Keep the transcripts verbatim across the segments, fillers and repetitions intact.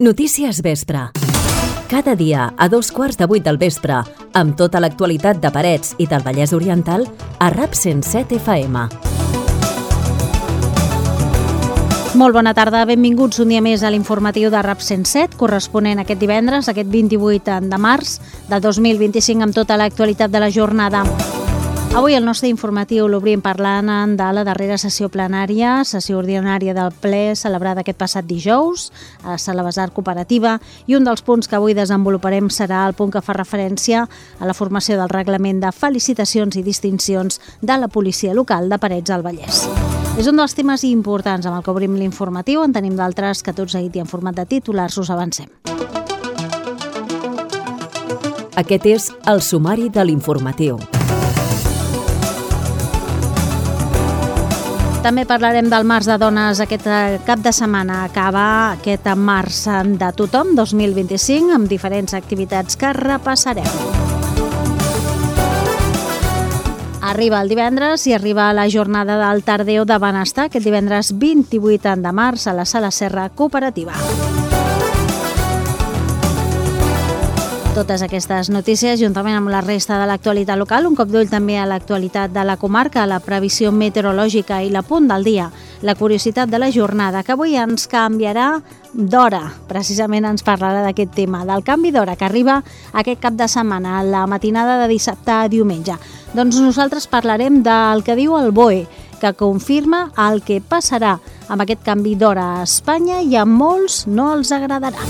Notícies Vespre. Cada dia a dos quarts de vuit del vespre, amb tota l'actualitat de Parets i del Vallès Oriental, a RAP cent set F M. Molt bona tarda, benvinguts un dia més a l'informatiu de RAP cent set, corresponent aquest divendres, aquest vint-i-vuit de març de dos mil vint-i-cinc, amb tota l'actualitat de la jornada. Avui el nostre informatiu l'obrim parlant de la darrera sessió plenària, sessió ordinària del ple celebrada aquest passat dijous a la Sala Besar Cooperativa, i un dels punts que avui desenvoluparem serà el punt que fa referència a la formació del reglament de felicitacions i distincions de la policia local de Parets del Vallès. És un dels temes importants amb el que obrim l'informatiu. En tenim d'altres que tot seguit i en format de titulars us avancem. Aquest és el sumari de l'informatiu. També parlarem del Març de Dones. Aquest cap de setmana acaba aquest Març de Tothom dos mil vint-i-cinc amb diferents activitats que repassarem. Arriba el divendres i arriba la jornada del Tardeo de Benestar, aquest divendres vint-i-vuit de març a la Sala Serra Cooperativa. Totes aquestes notícies, juntament amb la resta de l'actualitat local, un cop d'ull també a l'actualitat de la comarca, la previsió meteorològica i l'apunt del dia, la curiositat de la jornada, que avui ens canviarà d'hora. Precisament ens parlarà d'aquest tema, del canvi d'hora que arriba aquest cap de setmana, la matinada de dissabte a diumenge. Doncs nosaltres parlarem del que diu el B O E, que confirma el que passarà amb aquest canvi d'hora a Espanya i a molts no els agradarà.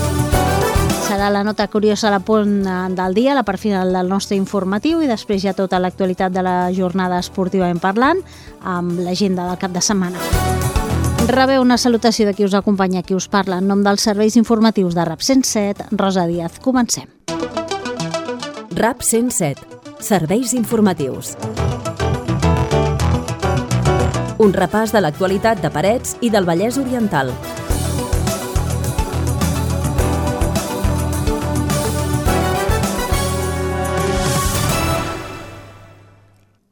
Serà la nota curiosa a la punt del dia, la part final del nostre informatiu, i després ja tota l'actualitat de la jornada esportivament parlant amb l'agenda del cap de setmana. Rebeu una salutació de qui us acompanya, qui us parla en nom dels serveis informatius de RAP cent set, Rosa Díaz. Comencem. RAP cent set. Serveis informatius. Un repàs de l'actualitat de Parets i del Vallès Oriental.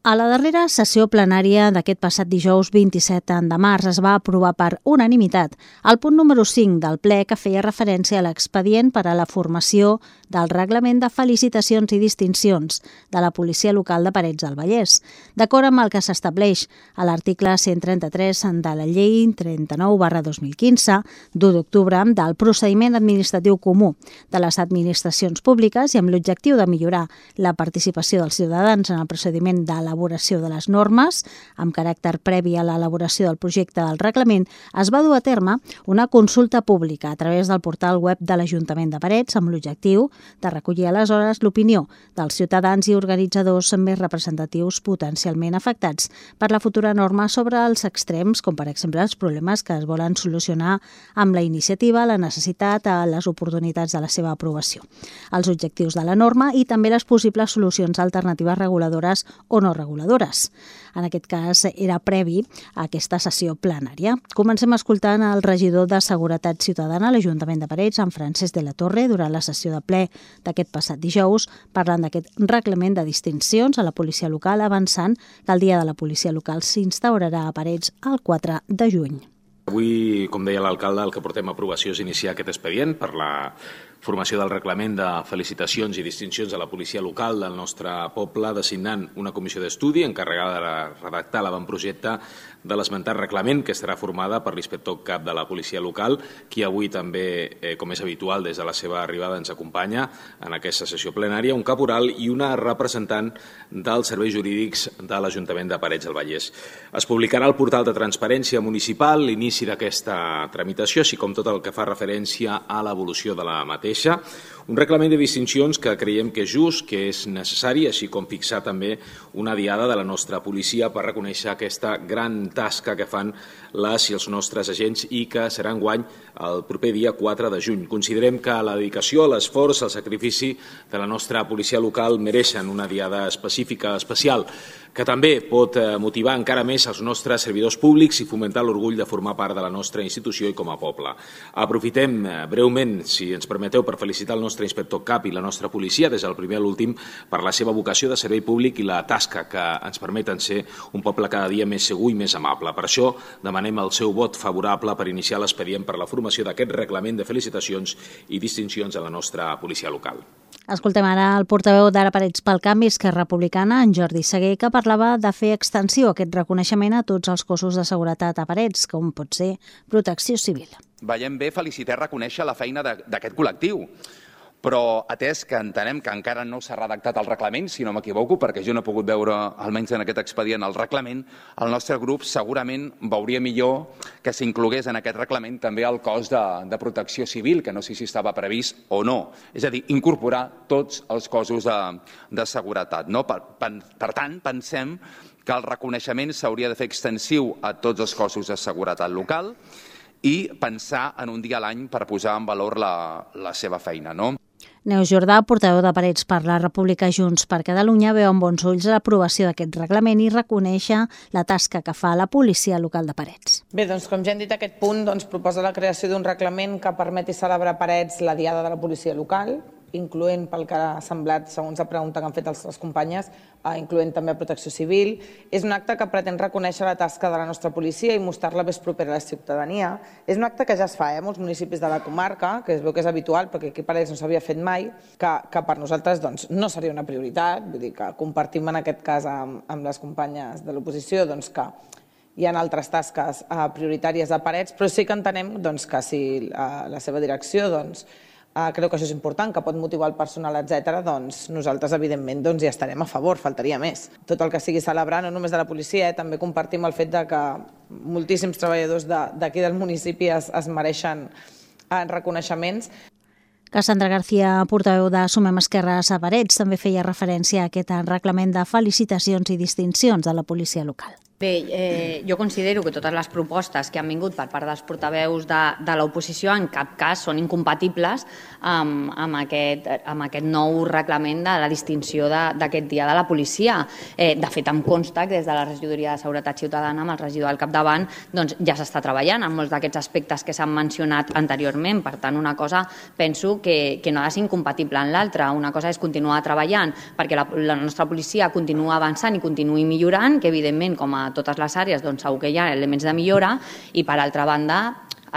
A la darrera sessió plenària d'aquest passat dijous vint-i-set de març es va aprovar per unanimitat el punt número cinc del ple, que feia referència a l'expedient per a la formació del reglament de felicitacions i distincions de la policia local de Parets del Vallès, d'acord amb el que s'estableix a l'article cent trenta-tres de la llei trenta-nou barra dos mil quinze, d'u d'octubre, del procediment administratiu comú de les administracions públiques, i amb l'objectiu de millorar la participació dels ciutadans en el procediment de l'elaboració de les normes, amb caràcter previ a l'elaboració del projecte del reglament, es va dur a terme una consulta pública a través del portal web de l'Ajuntament de Parets, amb l'objectiu de recollir aleshores l'opinió dels ciutadans i organitzadors més representatius potencialment afectats per la futura norma sobre els extrems, com per exemple els problemes que es volen solucionar amb la iniciativa, la necessitat, les oportunitats de la seva aprovació, els objectius de la norma i també les possibles solucions alternatives reguladores o no reguladores. En aquest cas era previ a aquesta sessió plenària. Comencem escoltant el regidor de Seguretat Ciutadana a l'Ajuntament de Parets, en Francesc de la Torre, durant la sessió de ple d'aquest passat dijous, parlant d'aquest reglament de distincions a la policia local, avançant que el Dia de la Policia Local s'instaurarà a Parets el quatre de juny. Avui, com deia l'alcalde, el que portem a aprovació és iniciar aquest expedient per la formació del reglament de felicitacions i distincions de la policia local del nostre poble, designant una comissió d'estudi encarregada de redactar l'avantprojecte de l'esmentat reglament, que estarà formada per l'inspector cap de la policia local, qui avui també, eh, com és habitual, des de la seva arribada ens acompanya en aquesta sessió plenària, un caporal i una representant dels serveis jurídics de l'Ajuntament de Parets del Vallès. Es publicarà al portal de Transparència Municipal l'inici d'aquesta tramitació, així com tot el que fa referència a l'evolució de la mateixa. Un reglament de distincions que creiem que és just, que és necessari, així com fixar també una diada de la nostra policia per reconèixer aquesta gran tasca que fan les i els nostres agents i que serà enguany el proper dia quatre de juny. Considerem que la dedicació, l'esforç, el sacrifici de la nostra policia local mereixen una diada específica, especial, que també pot motivar encara més els nostres servidors públics i fomentar l'orgull de formar part de la nostra institució i com a poble. Aprofitem breument, si ens permeteu, per felicitar el nostre nostre inspector cap i la nostra policia, des del primer a l'últim, per la seva vocació de servei públic i la tasca que ens permeten ser un poble cada dia més segur i més amable. Per això demanem el seu vot favorable per iniciar l'expedient per la formació d'aquest reglament de felicitacions i distincions a la nostra policia local. Escoltem ara el portaveu d'Ara Parets pel Canvi, Esquerra Republicana, en Jordi Seguer, que parlava de fer extensiu aquest reconeixement a tots els cossos de seguretat a Parets, com pot ser Protecció Civil. Veiem bé felicitar i reconèixer la feina d'aquest col·lectiu, però atès que entenem que encara no s'ha redactat el reglament, si no m'equivoco, perquè jo no he pogut veure, almenys en aquest expedient, el reglament, el nostre grup segurament veuria millor que s'inclogués en aquest reglament també el cos de, de protecció civil, que no sé si estava previst o no. És a dir, incorporar tots els cossos de, de seguretat. No? Per, per, per tant, pensem que el reconeixement s'hauria de fer extensiu a tots els cossos de seguretat local i pensar en un dia a l'any per posar en valor la, la seva feina, no? Neus Jordà, portaveu de Parets per la República Junts per Catalunya, veu amb bons ulls l'aprovació d'aquest reglament i reconèixer la tasca que fa la policia local de Parets. Bé, doncs com ja hem dit, aquest punt doncs, proposa la creació d'un reglament que permeti celebrar a Parets la Diada de la Policia Local, incloent, pel que ha semblat, segons la pregunta que han fet les, les companyes, eh, incloent també Protecció Civil. És un acte que pretén reconèixer la tasca de la nostra policia i mostrar-la més propera a la ciutadania. És un acte que ja es fa eh, a molts municipis de la comarca, que es veu que és habitual, perquè aquí a Parets no s'havia fet mai, que, que per nosaltres doncs, no seria una prioritat, vull dir que compartim en aquest cas amb, amb les companyes de l'oposició doncs, que hi ha altres tasques eh, prioritàries a Parets, però sí que entenem doncs, que si eh, la seva direcció doncs, Uh, creu que això és important, que pot motivar el personal, etcètera, doncs nosaltres, evidentment, doncs, hi estarem a favor, faltaria més. Tot el que sigui celebrar, no només de la policia, eh, també compartim el fet de que moltíssims treballadors d'aquí del municipi es, es mereixen uh, reconeixements. Cassandra García, portaveu de Sumem Esquerres a Parets, també feia referència a aquest reglament de felicitacions i distincions de la policia local. Bé, eh, jo considero que totes les propostes que han vingut per part dels portaveus de, de l'oposició en cap cas són incompatibles amb, amb, aquest, amb aquest nou reglament de la distinció d'aquest dia de la policia. Eh, de fet, em consta que des de la regidoria de Seguretat Ciutadana, amb el regidor al capdavant, doncs ja s'està treballant en molts d'aquests aspectes que s'han mencionat anteriorment. Per tant, una cosa penso que, que no ha de ser incompatible en l'altra. Una cosa és continuar treballant perquè la, la nostra policia continua avançant i continuï millorant, que evidentment, com a totes les àrees, doncs segur que hi ha elements de millora, i per altra banda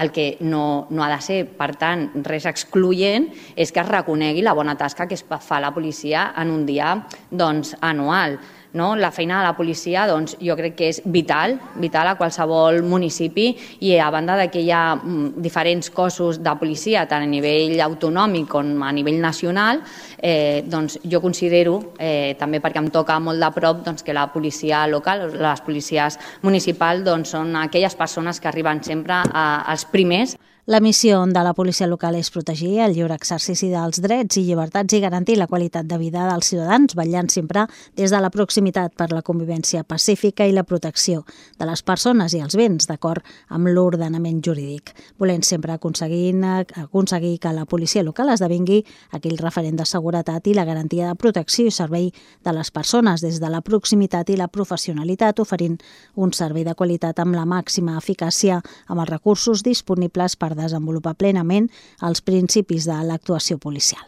el que no, no ha de ser, per tant, res excloent, és que es reconegui la bona tasca que es fa la policia en un dia doncs, anual. No? La feina de la policia doncs, jo crec que és vital, vital a qualsevol municipi, i a banda de que hi ha diferents cossos de policia, tant a nivell autonòmic com a nivell nacional, eh, doncs jo considero, eh, també perquè em toca molt de prop, doncs, que la policia local, les policies municipals, doncs, són aquelles persones que arriben sempre a, als primers. La missió de la policia local és protegir el lliure exercici dels drets i llibertats i garantir la qualitat de vida dels ciutadans, vetllant sempre des de la proximitat per la convivència pacífica i la protecció de les persones i els béns, d'acord amb l'ordenament jurídic, volent sempre aconseguir, aconseguir que la policia local esdevingui aquell referent de seguretat i la garantia de protecció i servei de les persones des de la proximitat i la professionalitat, oferint un servei de qualitat amb la màxima eficàcia amb els recursos disponibles per desenvolupar plenament els principis de l'actuació policial.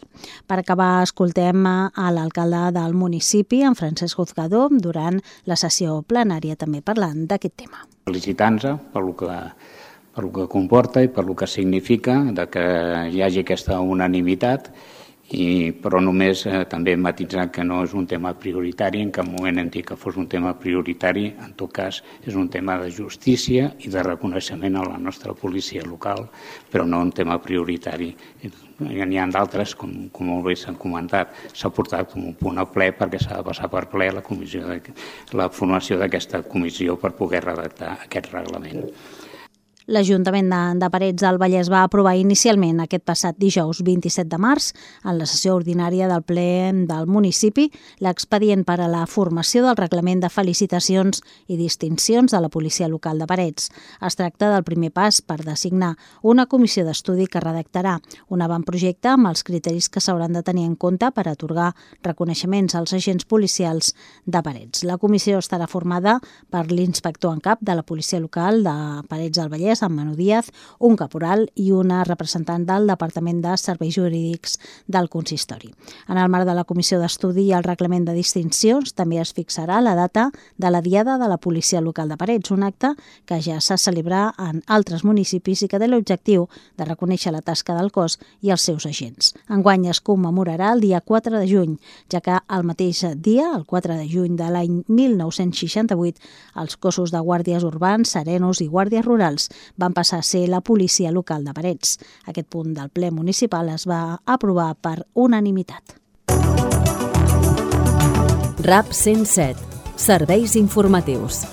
Per acabar, escoltem a l'alcalde del municipi, en Francesc Juzgado, durant la sessió plenària també parlant d'aquest tema. Felicitant-nos per lo que, per lo que comporta i per lo que significa de que hi hagi aquesta unanimitat, i, però només eh, també matitzar que no és un tema prioritari, en cap moment hem dit que fos un tema prioritari, en tot cas és un tema de justícia i de reconeixement a la nostra policia local, però no un tema prioritari. N'hi ha d'altres, com, com molt bé s'han comentat, s'ha portat com un punt a ple perquè s'ha de passar per ple la, comissió de, la formació d'aquesta comissió per poder redactar aquest reglament. L'Ajuntament de, de Parets del Vallès va aprovar inicialment aquest passat dijous vint-i-set de març, en la sessió ordinària del ple del municipi, l'expedient per a la formació del reglament de felicitacions i distincions de la policia local de Parets. Es tracta del primer pas per designar una comissió d'estudi que redactarà un avantprojecte amb els criteris que s'hauran de tenir en compte per atorgar reconeixements als agents policials de Parets. La comissió estarà formada per l'inspector en cap de la policia local de Parets del Vallès, policies, en Manu Díaz, un caporal i una representant del Departament de Serveis Jurídics del Consistori. En el marc de la Comissió d'Estudi i el Reglament de Distincions també es fixarà la data de la Diada de la Policia Local de Parets, un acte que ja s'ha celebrat en altres municipis i que té l'objectiu de reconèixer la tasca del cos i els seus agents. Enguany es commemorarà el dia quatre de juny, ja que el mateix dia, el quatre de juny de l'any mil nou-cents seixanta-vuit, els cossos de guàrdies urbans, serenos i guàrdies rurals van passar a ser la policia local de Parets. Aquest punt del ple municipal es va aprovar per unanimitat. RAP cent set. Serveis informatius.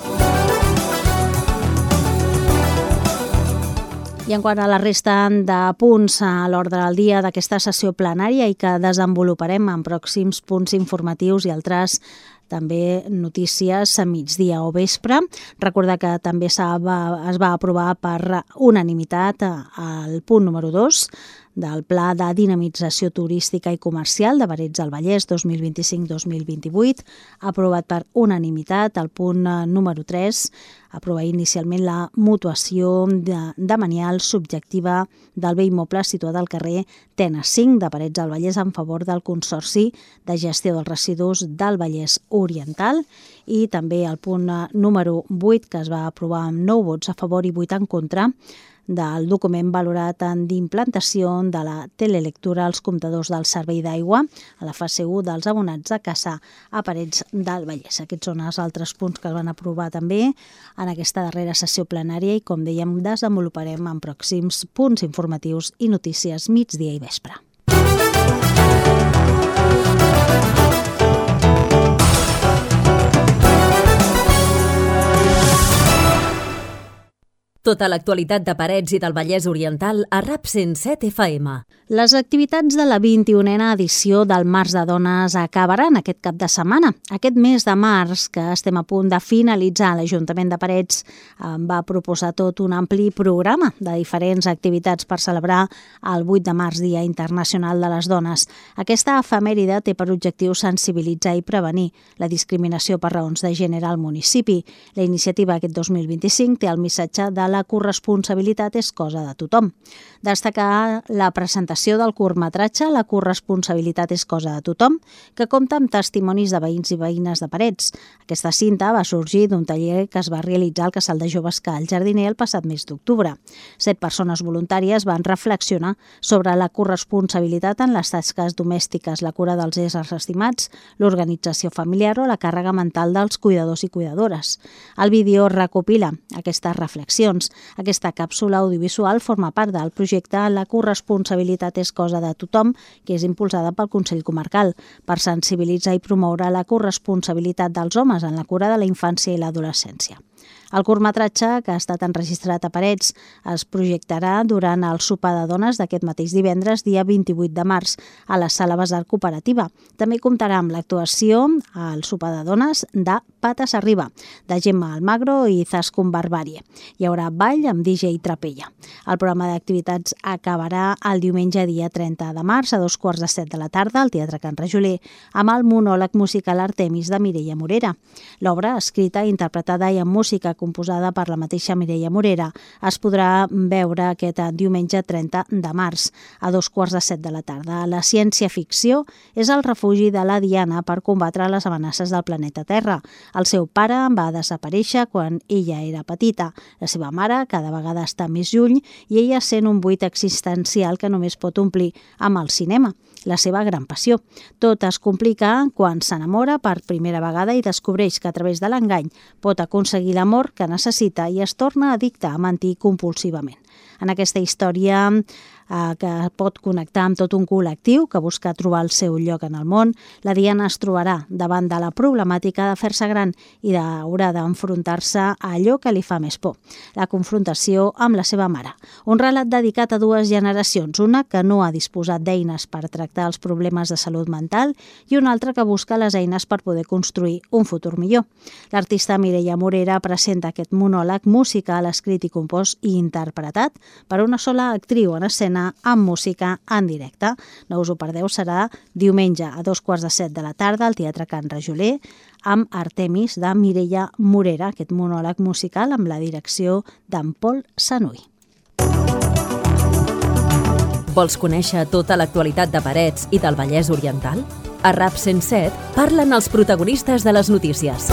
I en quant a la resta de punts a l'ordre del dia d'aquesta sessió plenària i que desenvoluparem en pròxims punts informatius i altres també notícies a migdia o vespre. Recordar que també es va aprovar per unanimitat el punt número dos del Pla de Dinamització Turística i Comercial de Parets del Vallès dos mil vint-i-cinc dos mil vint-i-vuit, aprovat per unanimitat el punt número tres, aprovar inicialment la mutuació de, de manial subjectiva del bé immoble situat al carrer Tenes cinc de Parets del Vallès en favor del Consorci de Gestió dels Residus del Vallès Oriental, i també el punt número vuit, que es va aprovar amb nou vots a favor i vuit en contra, del document valorat en d'implantació de la telelectura als comptadors del servei d'aigua a la fase u dels abonats de Cassà a Parets del Vallès. Aquests són els altres punts que es van aprovar també en aquesta darrera sessió plenària i, com dèiem, desenvoluparem en pròxims punts informatius i notícies migdia i vespre. Tota l'actualitat de Parets i del Vallès Oriental a RAP cent set F M. Les activitats de la vint-i-unena edició del Març de Dones acabaran aquest cap de setmana. Aquest mes de març, que estem a punt de finalitzar, l'Ajuntament de Parets va proposar tot un ampli programa de diferents activitats per celebrar el vuit de març, Dia Internacional de les Dones. Aquesta efemèride té per objectiu sensibilitzar i prevenir la discriminació per raons de gènere al municipi. La iniciativa aquest dos mil vint-i-cinc té el missatge de la corresponsabilitat és cosa de tothom. Destacar la presentació del curtmetratge La corresponsabilitat és cosa de tothom, que compta amb testimonis de veïns i veïnes de Parets. Aquesta cinta va sorgir d'un taller que es va realitzar al Casal de Joves Cal Jardiner el passat mes d'octubre. Set persones voluntàries van reflexionar sobre la corresponsabilitat en les tasques domèstiques, la cura dels éssers estimats, l'organització familiar o la càrrega mental dels cuidadors i cuidadores. El vídeo recopila aquestes reflexions. Aquesta càpsula audiovisual forma part del projecte La corresponsabilitat és cosa de tothom, que és impulsada pel Consell Comarcal per sensibilitzar i promoure la corresponsabilitat dels homes en la cura de la infància i l'adolescència. El curtmetratge, que ha estat enregistrat a Parets, es projectarà durant el sopar de dones d'aquest mateix divendres, dia vint-i-vuit de març, a la Sala Basar Cooperativa. També comptarà amb l'actuació al sopar de dones de Pates Arriba, de Gemma Almagro i Zascun Barbarie. Hi haurà ball amb D J Trapella. El programa d'activitats acabarà el diumenge, dia trenta de març, a dos quarts de set de la tarda, al Teatre Can Rajoler, amb el monòleg musical Artemis de Mireia Morera. L'obra, escrita, interpretada i amb música composada per la mateixa Mireia Morera, es podrà veure aquest diumenge trenta de març a dos quarts de set de la tarda. La ciència-ficció és el refugi de la Diana per combatre les amenaces del planeta Terra. El seu pare va desaparèixer quan ella era petita. La seva mare cada vegada està més lluny i ella sent un buit existencial que només pot omplir amb el cinema, la seva gran passió. Tot es complica quan s'enamora per primera vegada i descobreix que a través de l'engany pot aconseguir l'amor que necessita i es torna addicte a mentir compulsivament. En aquesta història eh, que pot connectar amb tot un col·lectiu que busca trobar el seu lloc en el món, la Diana es trobarà davant de la problemàtica de fer-se gran i haurà d'enfrontar-se a allò que li fa més por, la confrontació amb la seva mare. Un relat dedicat a dues generacions, una que no ha disposat d'eines per tractar els problemes de salut mental i una altra que busca les eines per poder construir un futur millor. L'artista Mireia Morera presenta aquest monòleg musical escrit i compost i interpretat per una sola actriu en escena l'estrena amb música en directe. No us ho perdeu, serà diumenge a dos quarts de set de la tarda al Teatre Can Rajoler amb Artemis de Mireia Morera, aquest monòleg musical amb la direcció d'en Pol Sanuy. Vols conèixer tota l'actualitat de Parets i del Vallès Oriental? A RAP cent set parlen els protagonistes de les notícies.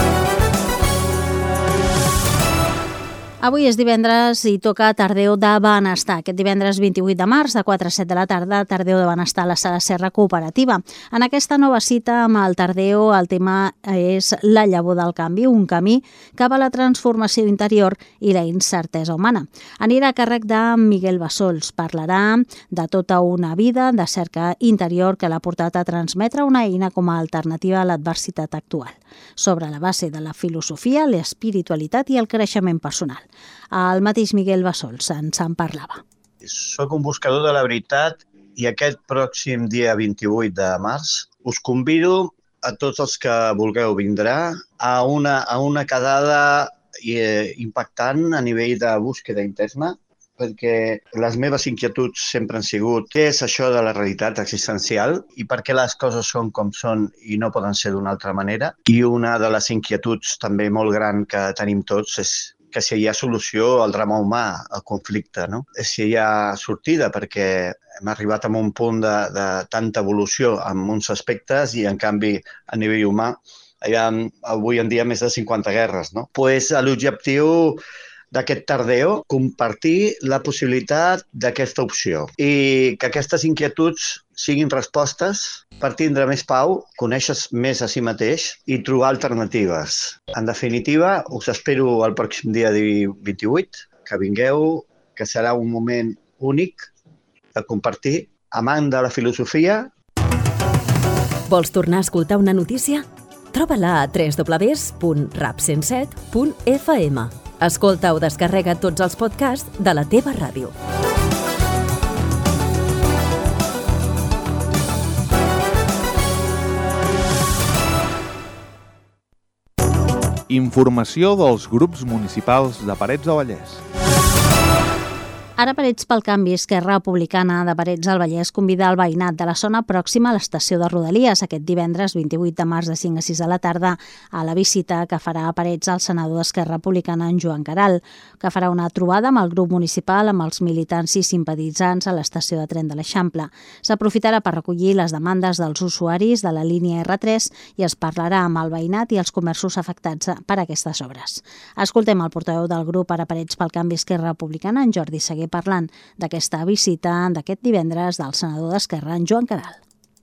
Avui és divendres i toca Tardeo de Benestar. Aquest divendres vint-i-vuit de març, de quatre a set de la tarda, Tardeo de Benestar a la Sala Serra Cooperativa. En aquesta nova cita amb el Tardeo, el tema és la llavor del canvi, un camí cap a la transformació interior i la incertesa humana. Anirà a càrrec de Miguel Bassols. Parlarà de tota una vida de cerca interior que l'ha portat a transmetre una eina com a alternativa a l'adversitat actual, sobre la base de la filosofia, l'espiritualitat i el creixement personal. El mateix Miguel Bassols ens en parlava. Soc un buscador de la veritat i aquest pròxim dia vint-i-vuit de març us convido a tots els que vulgueu vindrà a una, a una quedada eh, impactant a nivell de búsqueda interna, perquè les meves inquietuds sempre han sigut què és això de la realitat existencial i per què les coses són com són i no poden ser d'una altra manera. I una de les inquietuds també molt gran que tenim tots és que si hi ha solució al drama humà, al conflicte, no? Si hi ha sortida, perquè hem arribat a un punt de, de tanta evolució en uns aspectes i, en canvi, a nivell humà, hi ha avui en dia més de cinquanta guerres, no? Pues l'objectiu d'aquest Tardeo, compartir la possibilitat d'aquesta opció i que aquestes inquietuds siguin respostes per tindre més pau, conèixer més a si mateix i trobar alternatives. En definitiva, us espero el pròxim dia vint-i-vuit, que vingueu, que serà un moment únic de compartir, amant de la filosofia. Vols tornar a escoltar una notícia? Troba-la a w w w punt rap cent set punt f m. Escolta o descarrega tots els podcasts de la teva ràdio. Informació dels grups municipals de Parets del Vallès. Ara Parets pel Canvi, Esquerra Republicana de Parets del Vallès convida el veïnat de la zona pròxima a l'estació de Rodalies aquest divendres vint-i-vuit de març de cinc a sis de la tarda a la visita que farà a Parets el senador d'Esquerra Republicana en Joan Caral, que farà una trobada amb el grup municipal, amb els militants i simpatitzants a l'estació de tren de l'Eixample. S'aprofitarà per recollir les demandes dels usuaris de la línia erre tres i es parlarà amb el veïnat i els comerços afectats per aquestes obres. Escoltem el portaveu del grup Ara Parets pel Canvi, Esquerra Republicana, en Jordi Seguer, parlant d'aquesta visita d'aquest divendres del senador d'Esquerra, en Joan Caral.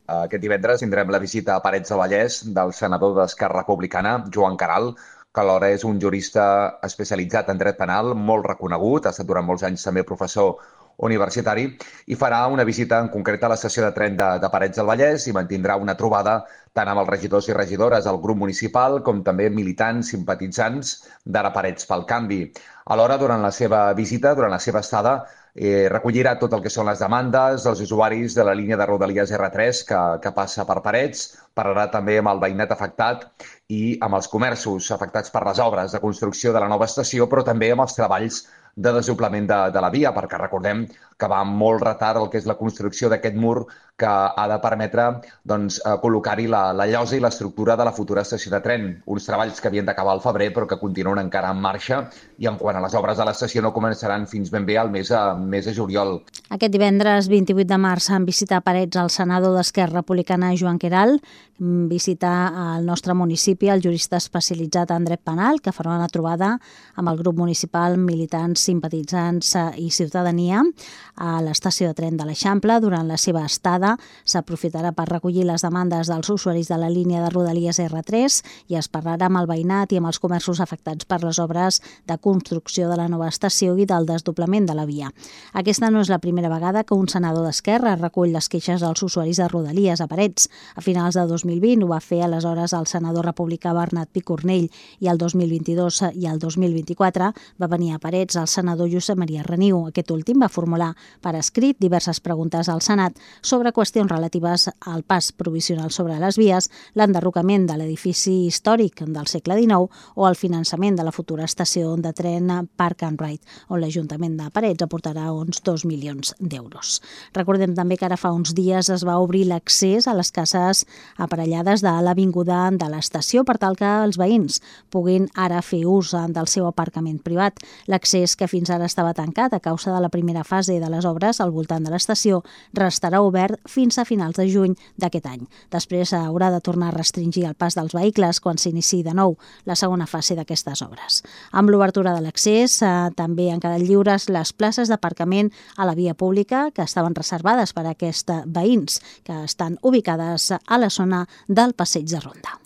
Aquest divendres tindrem la visita a Parets del Vallès del senador d'Esquerra Republicana, Joan Caral, que alhora és un jurista especialitzat en dret penal, molt reconegut, ha estat durant molts anys també professor universitari, i farà una visita en concret a l'estació de tren de, de Parets del Vallès i mantindrà una trobada tant amb els regidors i regidores del grup municipal com també militants, simpatitzants d'Ara Parets pel Canvi. Alhora, durant la seva visita, durant la seva estada, eh, recollirà tot el que són les demandes dels usuaris de la línia de Rodalies erre tres que, que passa per Parets, parlarà també amb el veïnat afectat i amb els comerços afectats per les obres de construcció de la nova estació, però també amb els treballs de desdoblament de, de la via, perquè recordem que va amb molt retard el que és la construcció d'aquest mur que ha de permetre doncs, col·locar-hi la, la llosa i l'estructura de la futura estació de tren. Uns treballs que havien d'acabar al febrer però que continuen encara en marxa i en quant a les obres de l'estació no començaran fins ben bé al mes a, mes de juliol. Aquest divendres vint-i-vuit de març en visita a Parets el senador d'Esquerra Republicana Joan Caral, visita al nostre municipi el jurista especialitzat en dret penal que farà una trobada amb el grup municipal, militants, simpatitzants i ciutadania a l'estació de tren de l'Eixample. Durant la seva estada s'aprofitarà per recollir les demandes dels usuaris de la línia de Rodalies erre tres i es parlarà amb el veïnat i amb els comerços afectats per les obres de construcció de la nova estació i del desdoblament de la via. Aquesta no és la primera vegada que un senador d'Esquerra recull les queixes dels usuaris de Rodalies a Parets. A finals de dos mil vint ho va fer aleshores el senador republicà Bernat Picornell i el dos mil vint-i-dos i el dos mil vint-i-quatre va venir a Parets el del senador Josep Maria Reniu. Aquest últim va formular per escrit diverses preguntes al Senat sobre qüestions relatives al pas provisional sobre les vies, l'enderrocament de l'edifici històric del segle dinou o el finançament de la futura estació de tren Park and Ride, on l'Ajuntament de Parets aportarà uns dos milions d'euros. Recordem també que ara fa uns dies es va obrir l'accés a les cases aparellades de l'avinguda de l'estació per tal que els veïns puguin ara fer ús del seu aparcament privat. L'accés, que fins ara estava tancat a causa de la primera fase de les obres al voltant de l'estació, restarà obert fins a finals de juny d'aquest any. Després haurà de tornar a restringir el pas dels vehicles quan s'iniciï de nou la segona fase d'aquestes obres. Amb l'obertura de l'accés eh, també han quedat lliures les places d'aparcament a la via pública que estaven reservades per a aquests veïns que estan ubicades a la zona del Passeig de Ronda.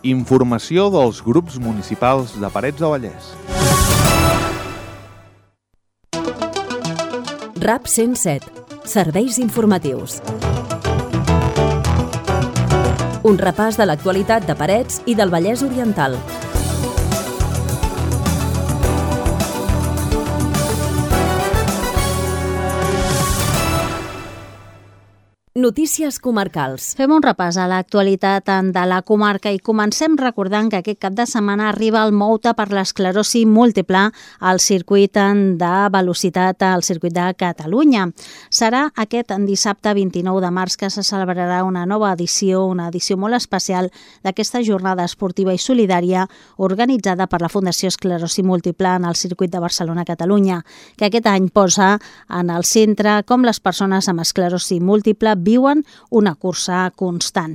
Informació dels grups municipals de Parets del Vallès. RAP cent set. Serveis informatius. Un repàs de l'actualitat de Parets i del Vallès Oriental. Notícies comarcals. Fem un repàs a l'actualitat de la comarca i comencem recordant que aquest cap de setmana arriba el Mouta per l'esclerosi múltiple al circuit de velocitat al circuit de Catalunya. Serà aquest dissabte vint-i-nou de març que se celebrarà una nova edició, una edició molt especial d'aquesta jornada esportiva i solidària organitzada per la Fundació Esclerosi Múltiple en el circuit de Barcelona-Catalunya, que aquest any posa en el centre com les persones amb esclerosi múltiple viuen una cursa constant.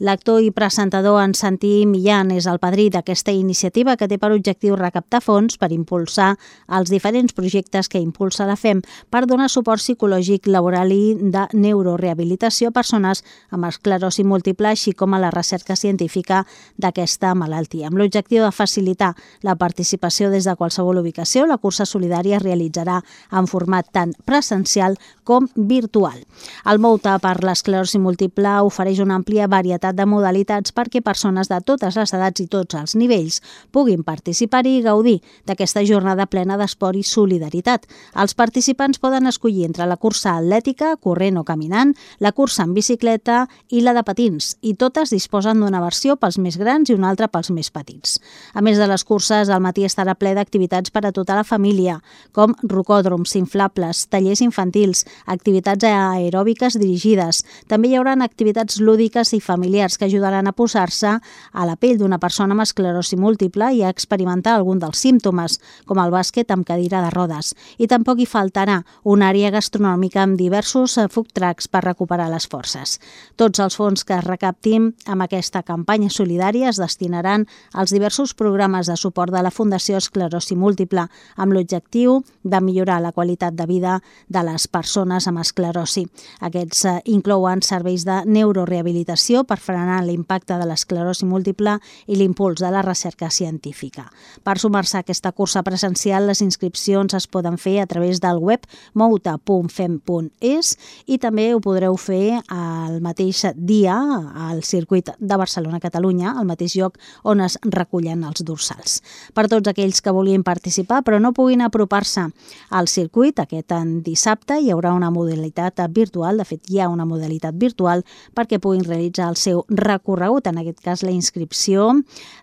L'actor i presentador en Santi Millán és el padrí d'aquesta iniciativa que té per objectiu recaptar fons per impulsar els diferents projectes que impulsa la F E M per donar suport psicològic, laboral i de neurorehabilitació a persones amb esclerosi múltiple, així com a la recerca científica d'aquesta malaltia. Amb l'objectiu de facilitar la participació des de qualsevol ubicació, la cursa solidària es realitzarà en format tant presencial com virtual. El Mouta per l'esclerosi múltiple ofereix una àmplia varietat de modalitats perquè persones de totes les edats i tots els nivells puguin participar-hi i gaudir d'aquesta jornada plena d'esport i solidaritat. Els participants poden escollir entre la cursa atlètica, corrent o caminant, la cursa en bicicleta i la de patins, i totes disposen d'una versió pels més grans i una altra pels més petits. A més de les curses, el matí estarà ple d'activitats per a tota la família, com rocòdroms inflables, tallers infantils, activitats aeròbiques dirigides. També hi haurà activitats lúdiques i familiars que ajudaran a posar-se a la pell d'una persona amb esclerosi múltiple i a experimentar algun dels símptomes, com el bàsquet amb cadira de rodes. I tampoc hi faltarà una àrea gastronòmica amb diversos food trucks per recuperar les forces. Tots els fons que es recaptin amb aquesta campanya solidària es destinaran als diversos programes de suport de la Fundació Esclerosi Múltiple amb l'objectiu de millorar la qualitat de vida de les persones amb esclerosi. Aquests inclouen serveis de neurorehabilitació per frenar l'impacte de l'esclerosi múltiple i l'impuls de la recerca científica. Per sumar-se a aquesta cursa presencial, les inscripcions es poden fer a través del web mouta punt fem punt es i també ho podreu fer el mateix dia al circuit de Barcelona-Catalunya, al mateix lloc on es recullen els dorsals. Per tots aquells que vulguin participar però no puguin apropar-se al circuit, aquest dissabte hi haurà una modalitat virtual, de fet hi ha una modalitat virtual perquè puguin realitzar el seu recorregut. En aquest cas, la inscripció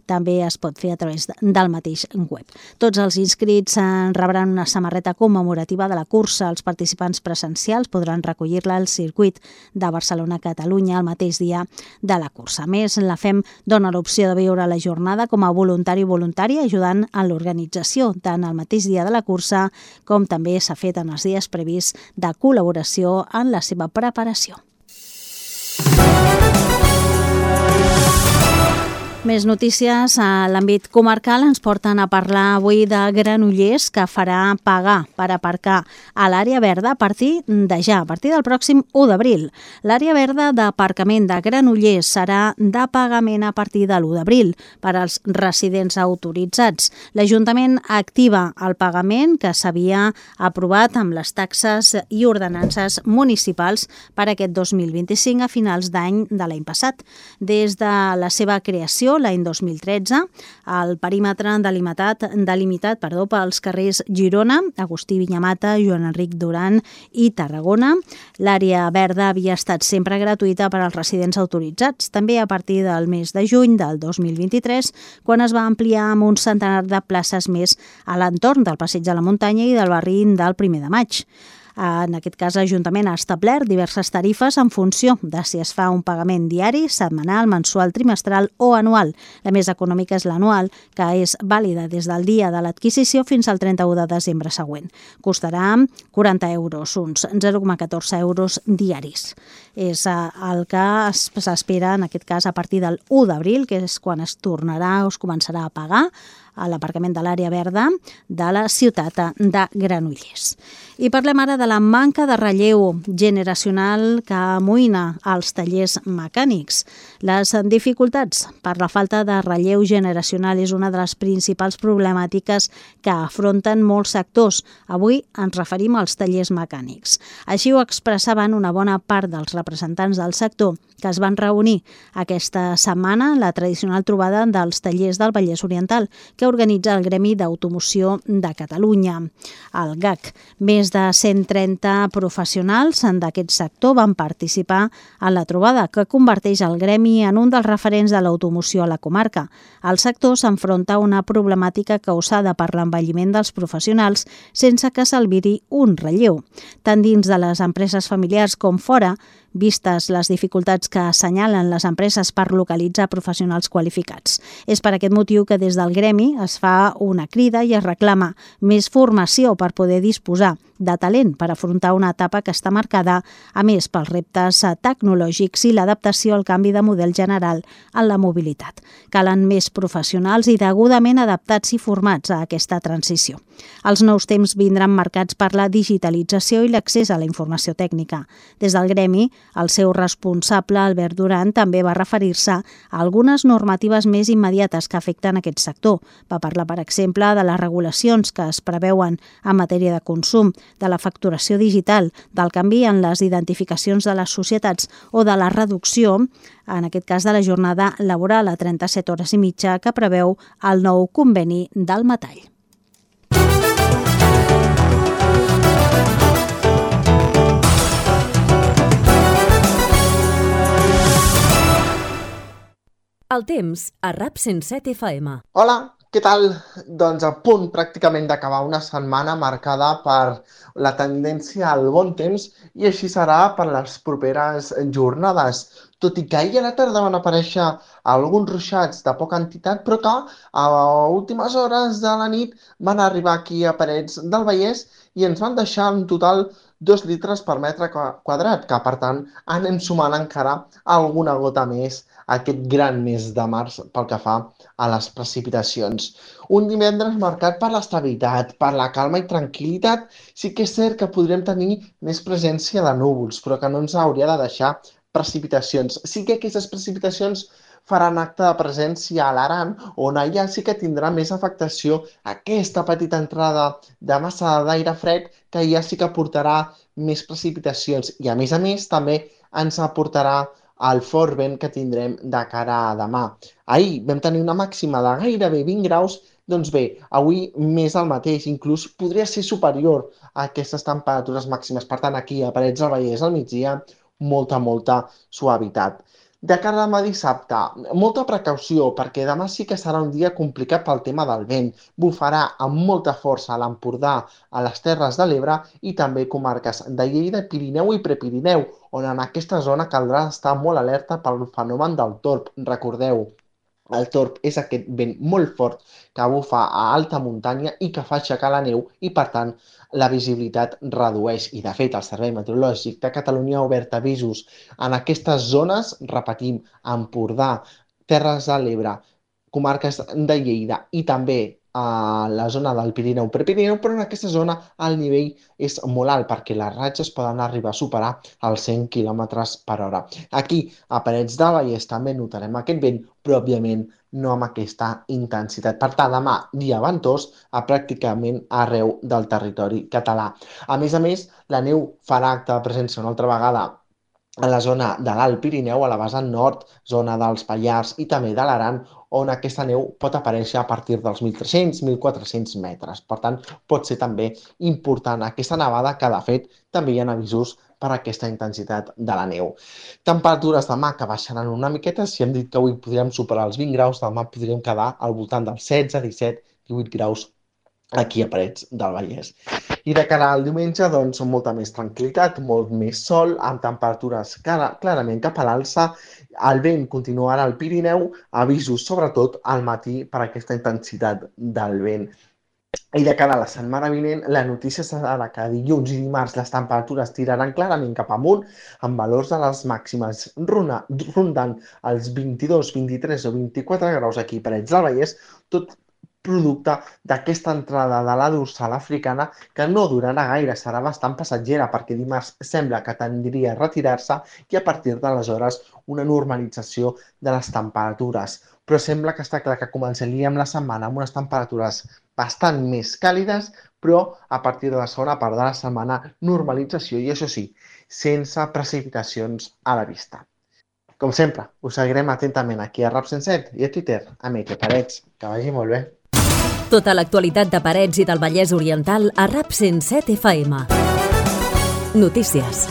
també es pot fer a través del mateix web. Tots els inscrits rebran una samarreta commemorativa de la cursa. Els participants presencials podran recollir-la al circuit de Barcelona-Catalunya el mateix dia de la cursa. A més, la F E M dona l'opció de viure la jornada com a voluntari o voluntària, ajudant en l'organització tant el mateix dia de la cursa com també s'ha fet en els dies prevists de col·laboració en la seva preparació. Més notícies a l'àmbit comarcal ens porten a parlar avui de Granollers, que farà pagar per aparcar a l'àrea verda a partir de ja, a partir del pròxim u d'abril. L'àrea verda d'aparcament de Granollers serà de pagament a partir de l'u d'abril per als residents autoritzats. L'Ajuntament activa el pagament que s'havia aprovat amb les taxes i ordenances municipals per aquest dos mil vint-i-cinc a finals d'any de l'any passat. Des de la seva creació, construcció l'any dos mil tretze. El perímetre delimitat, delimitat perdó, pels carrers Girona, Agustí Vinyamata, Joan Enric Duran i Tarragona. L'àrea verda havia estat sempre gratuïta per als residents autoritzats, també a partir del mes de juny del dos mil vint-i-tres, quan es va ampliar amb un centenar de places més a l'entorn del Passeig de la Muntanya i del barri del primer de maig. En aquest cas, l'Ajuntament ha establert diverses tarifes en funció de si es fa un pagament diari, setmanal, mensual, trimestral o anual. La més econòmica és l'anual, que és vàlida des del dia de l'adquisició fins al trenta-u de desembre següent. Costarà quaranta euros, uns zero coma catorze euros diaris. És el que s'espera, en aquest cas, a partir del u d'abril, que és quan es tornarà o es començarà a pagar a l'aparcament de l'àrea verda de la ciutat de Granollers. I parlem ara de la manca de relleu generacional que amoïna als tallers mecànics. Les dificultats per la falta de relleu generacional és una de les principals problemàtiques que afronten molts sectors. Avui ens referim als tallers mecànics. Així ho expressaven una bona part dels representants del sector que es van reunir aquesta setmana la tradicional trobada dels tallers del Vallès Oriental, que organitza el Gremi d'Automoció de Catalunya, el G A C. Més de cent trenta professionals d'aquest sector van participar en la trobada, que converteix el gremi en un dels referents de l'automoció a la comarca. El sector s'enfronta a una problemàtica causada per l'envelliment dels professionals sense que s'albiri un relleu. Tant dins de les empreses familiars com fora, vistes les dificultats que assenyalen les empreses per localitzar professionals qualificats. És per aquest motiu que des del gremi es fa una crida i es reclama més formació per poder disposar de talent per afrontar una etapa que està marcada, a més, pels reptes tecnològics i l'adaptació al canvi de model general en la mobilitat. Calen més professionals i degudament adaptats i formats a aquesta transició. Els nous temps vindran marcats per la digitalització i l'accés a la informació tècnica. Des del gremi, el seu responsable, Albert Duran, també va referir-se a algunes normatives més immediates que afecten aquest sector. Va parlar, per exemple, de les regulacions que es preveuen en matèria de consum, de la facturació digital, del canvi en les identificacions de les societats o de la reducció, en aquest cas de la jornada laboral a trenta-set hores i mitja, que preveu el nou conveni del metall. El temps a RAP cent set F M. Hola, què tal? Doncs a punt pràcticament d'acabar una setmana marcada per la tendència al bon temps i així serà per les properes jornades. Tot i que ahir a la tarda van aparèixer alguns ruixats de poca entitat, però que a últimes hores de la nit van arribar aquí a Parets del Vallès i ens van deixar en total dos litres per metre quadrat, que per tant anem sumant encara alguna gota més aquest gran mes de març pel que fa a les precipitacions. Un divendres marcat per l'estabilitat, per la calma i tranquil·litat. Sí que és cert que podrem tenir més presència de núvols, però que no ens hauria de deixar precipitacions. Sí que aquestes precipitacions faran acte de presència a l'Aran, on allà sí que tindrà més afectació aquesta petita entrada de massa d'aire fred, que ja sí que portarà més precipitacions i, a més a més, també ens aportarà el fort vent que tindrem de cara a demà. Ahir vam tenir una màxima de gairebé vint graus, doncs bé, avui més el mateix, inclús podria ser superior a aquestes temperatures màximes. Per tant, aquí a Parets del Vallès al migdia, molta, molta suavitat. De cara a demà dissabte, molta precaució, perquè demà sí que serà un dia complicat pel tema del vent. Bufarà amb molta força a l'Empordà, a les Terres de l'Ebre i també comarques de Lleida, Pirineu i Prepirineu, on en aquesta zona caldrà estar molt alerta pel fenomen del torb. Recordeu, el torb és aquest vent molt fort que bufa a alta muntanya i que fa aixecar la neu i, per tant, la visibilitat redueix. I, de fet, el Servei Meteorològic de Catalunya ha obert avisos en aquestes zones, repetim, Empordà, Terres de l'Ebre, comarques de Lleida i també a la zona del Pirineu Prepirineu, però en aquesta zona el nivell és molt alt perquè les ratxes poden arribar a superar els cent quilòmetres per hora. Aquí, a Parets del Vallès, també notarem aquest vent, però òbviament no amb aquesta intensitat. Per tant, demà, dia ventós a pràcticament arreu del territori català. A més a més, la neu farà acte de presència una altra vegada a la zona de l'Alt Pirineu, a la vessant nord, zona dels Pallars i també de l'Aran, on aquesta neu pot aparèixer a partir dels mil tres-cents a mil quatre-cents metres. Per tant, pot ser també important aquesta nevada, que de fet també hi ha avisos per aquesta intensitat de la neu. Temperatures demà que baixaran una miqueta. Si hem dit que avui podríem superar els vint graus, demà podríem quedar al voltant dels setze, disset, divuit graus aquí a Parets del Vallès. I de cara al diumenge, doncs, molta més tranquil·litat, molt més sol, amb temperatures clarament cap a l'alça. El vent continuarà al Pirineu, avisos sobretot al matí per aquesta intensitat del vent. I de cara a la setmana vinent, la notícia serà que dilluns i dimarts les temperatures tiraran clarament cap amunt, amb valors de les màximes rondant els vint-i-dos, vint-i-tres o vint-i-quatre graus aquí a Parets del Vallès, tot producte d'aquesta entrada de la dorsal africana, que no durarà gaire, serà bastant passatgera, perquè dimarts sembla que tendria a retirar-se i a partir d'aleshores una normalització de les temperatures. Però sembla que està clar que començaríem la setmana amb unes temperatures bastant més càlides, però a partir de la segona part de la setmana normalització i, això sí, sense precipitacions a la vista. Com sempre, us seguirem atentament aquí a Rap cent set i a Twitter, a Miquel Parets. Que vagi molt bé. Tota l'actualitat de Parets i del Vallès Oriental a Rap cent set F M. Notícies.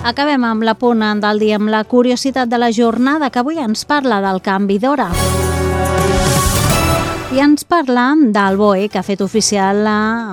Acabem amb la punt del dia amb la curiositat de la jornada, que avui ens parla del canvi d'hora. I ens parla del B O E, que ha fet oficial,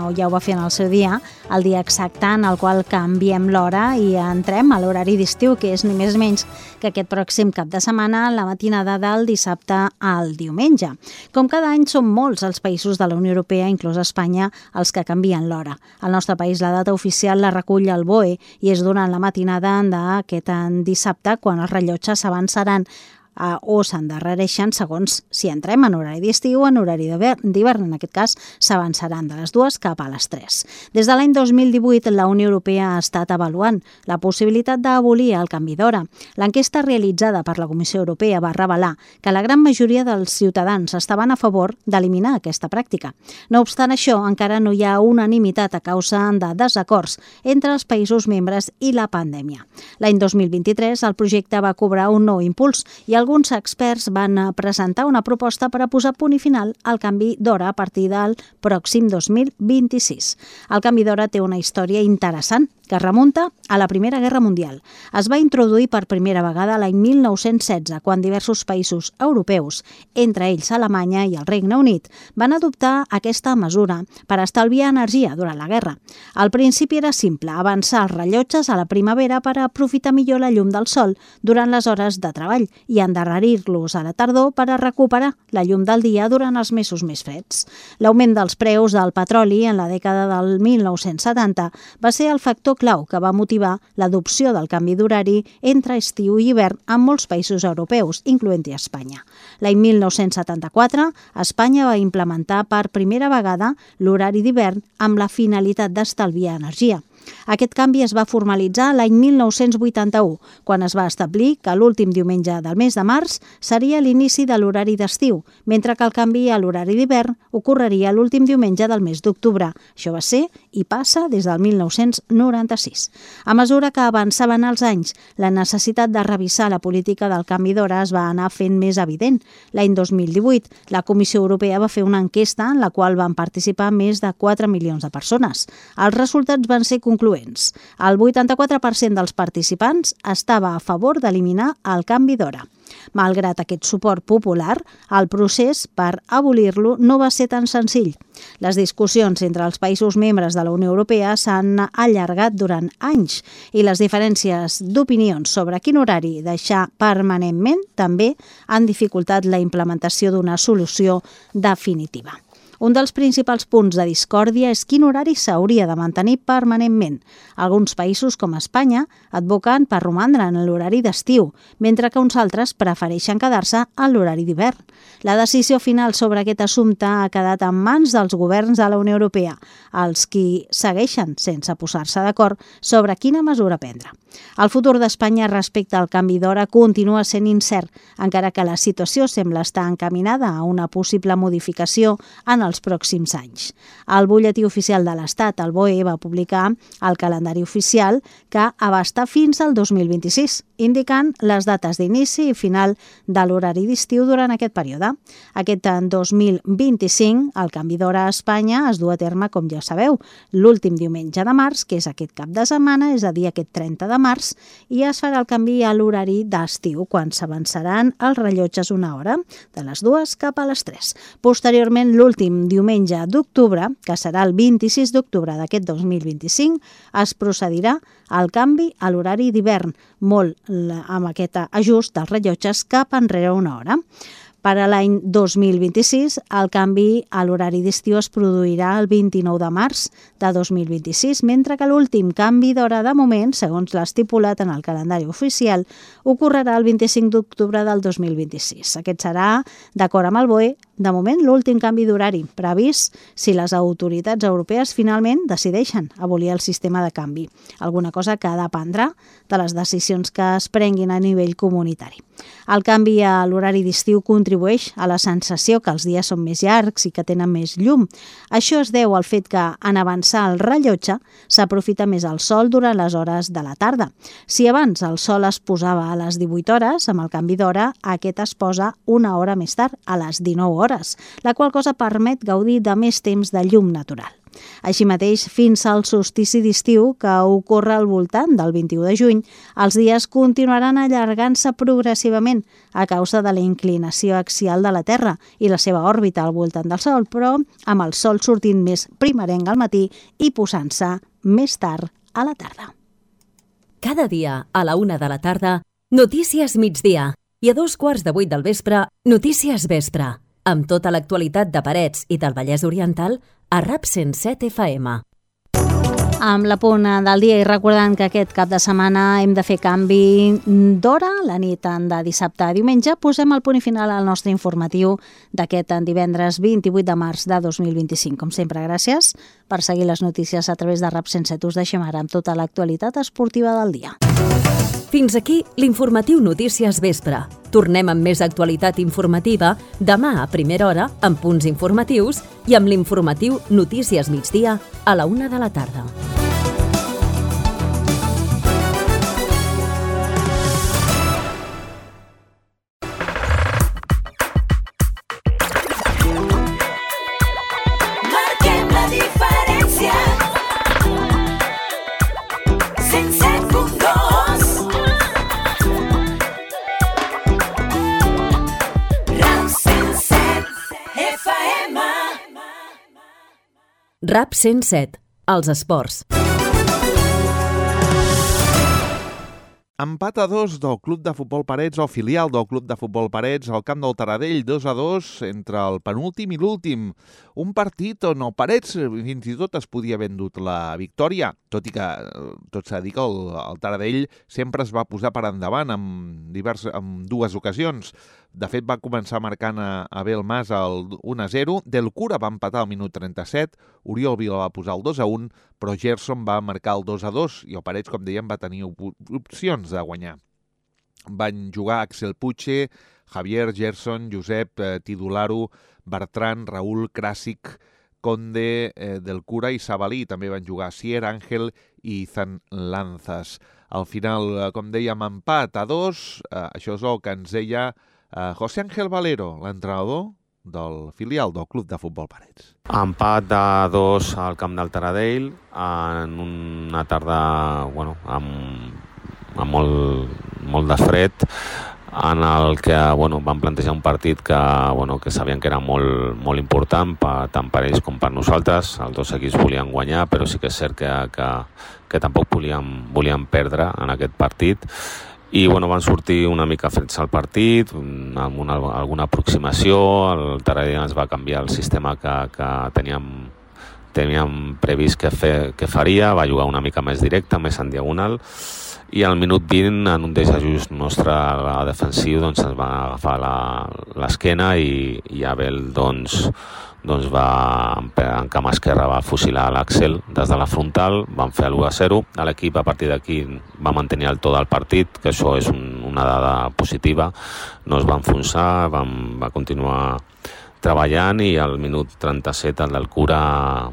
o ja ho va fer en el seu dia, el dia exacte en el qual canviem l'hora i entrem a l'horari d'estiu, que és ni més ni menys que aquest pròxim cap de setmana, la matinada del dissabte al diumenge. Com cada any, són molts els països de la Unió Europea, inclús Espanya, els que canvien l'hora. Al nostre país, la data oficial la recull el B O E i és durant la matinada d'aquest dissabte, quan els rellotges s'avançaran Uh, o s'endarrereixen segons si entrem en horari d'estiu o en horari d'hivern. En aquest cas, s'avançaran de les dues cap a les tres. Des de l'any dos mil divuit, la Unió Europea ha estat avaluant la possibilitat d'abolir el canvi d'hora. L'enquesta realitzada per la Comissió Europea va revelar que la gran majoria dels ciutadans estaven a favor d'eliminar aquesta pràctica. No obstant això, encara no hi ha unanimitat a causa de desacords entre els països membres i la pandèmia. L'any dos mil vint-i-tres, el projecte va cobrar un nou impuls i alguns experts van presentar una proposta per a posar punt i final al canvi d'hora a partir del pròxim dos mil vint-i-sis. El canvi d'hora té una història interessant que remunta a la Primera Guerra Mundial. Es va introduir per primera vegada l'any mil nou-cents setze, quan diversos països europeus, entre ells Alemanya i el Regne Unit, van adoptar aquesta mesura per estalviar energia durant la guerra. Al principi era simple, avançar els rellotges a la primavera per aprofitar millor la llum del sol durant les hores de treball i endarrerir-los a la tardor per a recuperar la llum del dia durant els mesos més freds. L'augment dels preus del petroli en la dècada del mil nou-cents setanta va ser el factor clau que va motivar l'adopció del canvi d'horari entre estiu i hivern en molts països europeus, incloent-hi Espanya. L'any mil nou-cents setanta-quatre, Espanya va implementar per primera vegada l'horari d'hivern amb la finalitat d'estalviar energia. Aquest canvi es va formalitzar l'any mil nou-cents vuitanta-u, quan es va establir que l'últim diumenge del mes de març seria l'inici de l'horari d'estiu, mentre que el canvi a l'horari d'hivern ocorreria l'últim diumenge del mes d'octubre. Això va ser i passa des del mil nou-cents noranta-sis. A mesura que avançaven els anys, la necessitat de revisar la política del canvi d'hora es va anar fent més evident. L'any dos mil divuit, la Comissió Europea va fer una enquesta en la qual van participar més de quatre milions de persones. Els resultats van ser concloents. El vuitanta-quatre per cent dels participants estava a favor d'eliminar el canvi d'hora. Malgrat aquest suport popular, el procés per abolir-lo no va ser tan senzill. Les discussions entre els països membres de la Unió Europea s'han allargat durant anys i les diferències d'opinions sobre quin horari deixar permanentment també han dificultat la implementació d'una solució definitiva. Un dels principals punts de discòrdia és quin horari s'hauria de mantenir permanentment. Alguns països, com Espanya, advoquen per romandre en l'horari d'estiu, mentre que uns altres prefereixen quedar-se a l'horari d'hivern. La decisió final sobre aquest assumpte ha quedat en mans dels governs de la Unió Europea, els qui segueixen sense posar-se d'acord sobre quina mesura prendre. El futur d'Espanya respecte al canvi d'hora continua sent incert, encara que la situació sembla estar encaminada a una possible modificació en el dels pròxims anys. El butlletí oficial de l'Estat, el B O E, va publicar el calendari oficial que abasta fins al dos mil vint-i-sis, indicant les dates d'inici i final de l'horari d'estiu durant aquest període. Aquest dos mil vint-i-cinc, el canvi d'hora a Espanya es du a terme, com ja sabeu, l'últim diumenge de març, que és aquest cap de setmana, és a dir, aquest trenta de març, i es farà el canvi a l'horari d'estiu, quan s'avançaran els rellotges una hora, de les dues cap a les tres. Posteriorment, l'últim diumenge d'octubre, que serà el vint-i-sis d'octubre d'aquest dos mil vint-i-cinc, es procedirà al canvi a l'horari d'hivern, molt amb aquest ajust dels rellotges cap enrere una hora. Per a l'any dos mil vint-i-sis, el canvi a l'horari d'estiu es produirà el vint-i-nou de març de dos mil vint-i-sis, mentre que l'últim canvi d'hora de moment, segons l'estipulat en el calendari oficial, ocorrerà el vint-i-cinc d'octubre del dos mil vint-i-sis. Aquest serà, d'acord amb el B O E, de moment l'últim canvi d'horari, previst si les autoritats europees finalment decideixen abolir el sistema de canvi, alguna cosa que dependrà de les decisions que es prenguin a nivell comunitari. El canvi a l'horari d'estiu contribueix a la sensació que els dies són més llargs i que tenen més llum. Això es deu al fet que, en avançar el rellotge, s'aprofita més el sol durant les hores de la tarda. Si abans el sol es posava a les divuit hores, amb el canvi d'hora, aquest es posa una hora més tard, a les dinou hores, la qual cosa permet gaudir de més temps de llum natural. Així mateix, fins al solstici d'estiu, que ocorre al voltant del vint-i-u de juny, els dies continuaran allargant-se progressivament a causa de la inclinació axial de la Terra i la seva òrbita al voltant del Sol, però amb el Sol sortint més primerenc al matí i posant-se més tard a la tarda. Cada dia, a la una de la tarda, Notícies Migdia, i a dos quarts de vuit del vespre, Notícies Vespre, amb tota l'actualitat de Parets i del Vallès Oriental a RAP cent set F M. Amb la punt del dia i recordant que aquest cap de setmana hem de fer canvi d'hora, la nit de dissabte a diumenge, posem el punt i final al nostre informatiu d'aquest divendres vint-i-vuit de març de dos mil vint-i-cinc. Com sempre, gràcies per seguir les notícies a través de RAP cent set. Us deixem ara amb tota l'actualitat esportiva del dia. Fins aquí l'informatiu Notícies Vespre. Tornem amb més actualitat informativa demà a primera hora amb punts informatius i amb l'informatiu Notícies Migdia a la una de la tarda. Marquem la diferència. cent set punt dos. RAP cent set, els esports. Empat a dos del Club de Futbol Parets o filial del Club de Futbol Parets al camp del Taradell, dos a dos entre el penúltim i l'últim. Un partit on el Parets fins i tot es podia haver endut la victòria, tot i que tot s'ha de dir que el, el Taradell sempre es va posar per endavant en, divers, en dues ocasions. De fet, va començar marcant a Abel Mas el un a zero, Del Cura va empatar al minut trenta-set, Oriol Vila va posar el dos a un, però Gerson va marcar el dos a dos i el Parets, com dèiem, va tenir opcions de guanyar. Van jugar Axel Puche, Javier, Gerson, Josep, eh, Tidularo, Bertran, Raúl, Krasic, Conde, eh, Del Cura i Sabalí. També van jugar Sier, Ángel i Izan Lanzas. Al final, com dèiem, empat a dos, eh, això és el que ens deia Uh, José Ángel Valero, l'entrenador del filial del Club de Futbol Parets. Empat de dos al camp del Taradell en una tarda bueno, amb, amb molt, molt de fred, en el que bueno, van plantejar un partit que, bueno, que sabien que era molt, molt important per, tant per ells com per nosaltres. Els dos equips volien guanyar, però sí que és cert que, que, que tampoc volien, volien perdre en aquest partit. I bueno, van sortir una mica freds al partit, amb una, alguna aproximació. El Taradell ens va canviar el sistema que, que teníem, teníem previst que, fe, que faria, va jugar una mica més directe, més en diagonal, i al minut vint, en un desajust nostre defensiu, doncs ens va agafar l'esquena i, i Abel doncs, doncs va, en cama esquerra va fusilar l'Axel des de la frontal, van fer l'u a zero. L'equip a partir d'aquí va mantenir el to del partit, que això és un, una dada positiva, no es va enfonsar, van, va continuar treballant i al minut trenta-set el del Cura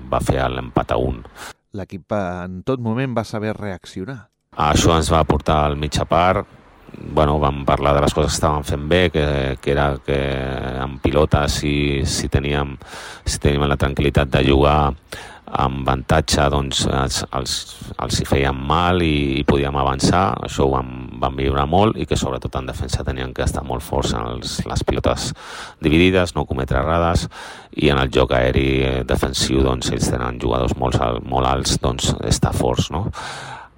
va fer l'empat a un. L'equip en tot moment va saber reaccionar. Això ens va portar al mitja part. Bueno, vam parlar de les coses que estaven fent bé, que, que era que en pilota si, si, teníem, si teníem la tranquil·litat de jugar amb avantatge, doncs els, els, els hi feien mal i, i podíem avançar. Això ho vam, vam viure molt i que sobretot en defensa tenien que estar molt forts en els, les pilotes dividides, no cometre errades, i en el joc aeri defensiu doncs ells tenen jugadors molt, molt alts, doncs estar forts, no?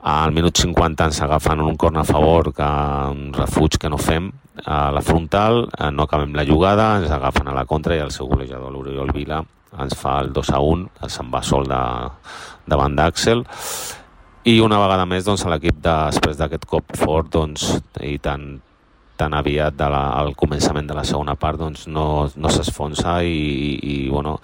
Al minut cinquanta ens agafen un corner a favor, que un refuig que no fem a la frontal, no acabem la jugada, ens agafen a la contra i el seu golejador, l'Oriol Vila, ens fa el dos a un, se'n va sol de, davant d'Àxel, i una vegada més doncs, l'equip després d'aquest cop fort doncs, i tan, tan aviat de la, al començament de la segona part doncs, no, no s'esfonsa i, i, i bueno,